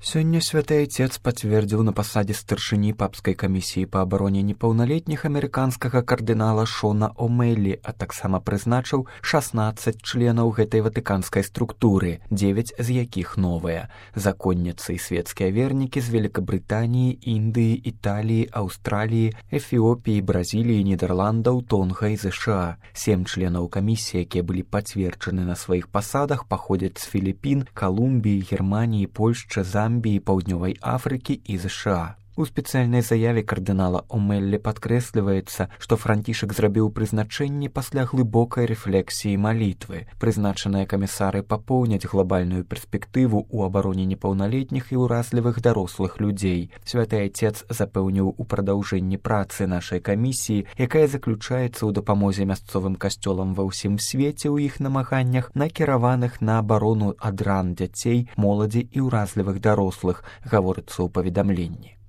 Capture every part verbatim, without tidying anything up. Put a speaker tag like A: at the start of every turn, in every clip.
A: Сёння святы айцец пацвердзіў на пасадзе старшыні папскай камісіі па абароне непаўналетніх амерыканскага кардынала Шона О'Мэлі, а таксама прызначыў шаснаццаць членаў гэтай ватыканскай структуры, дзевяць з якіх новыя. Законніцы і светскія вернікі з Великабрытаніі, Індыі, Італіі, Аўстраліі, Эфіопіі, Бразіліі, Нідерландаў, Тонга і ЗША. Сем членаў камісіі, якія былі пацверджаны на сваіх пасадах, паходзяць з Філіпін, Калумбіі, Германіі, Польшчы, Замбіі, Паўднёвай Афрыкі і ЗША. У спецыяльнай заяве кардынала О'Мэлі падкрэсліваецца, што Францішак зрабіў прызначэнне пасля глыбокай рэфлексіі малітвы. Прызначаныя камісары папоўняць глобальную перспектыву ў абароне непаўналетніх і ўразлівых дарослых людзей. Святы айцец запэўніў у прадаўжэнні працы нашай камісіі, якая заключаецца ў дапамозе мясцовым касцёлам ва ўсім свеце ў іх намаганнях, накіраваных на абарону ад ран дзяцей, моладзі і ўразлівых дарослых, гаворыцца ў паведамленні.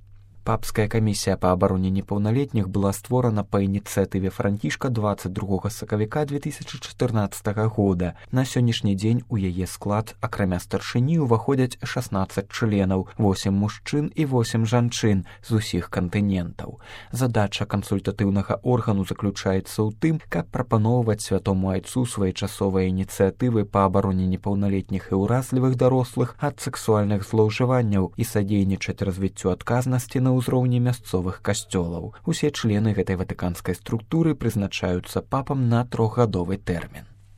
A: Папская камісія па абароне непаўналетніх была створана па ініцыятыве Францішка дваццаць другога сакавіка две тысячы чатырнаццатага года. На сённяшні дзень у яе склад, акрамя старшыні, уваходзяць шаснаццаць членаў, восем мужчын і восем жанчын з усіх кантынентаў. Задача кансультатыўнага органу заключаецца ў тым, каб прапаноўваць святому айцу своечасовыя ініцыятывы па абароне непаўналетніх і ўразлівых дарослых ад сексуальных злоўжыванняў і садзейнічаць развіццю адказнасці на ўзроўні мясцовых касцёлаў. Усе члены гэтай ватыканскай структуры прызначаюцца папам на трохгадовы тэрмін.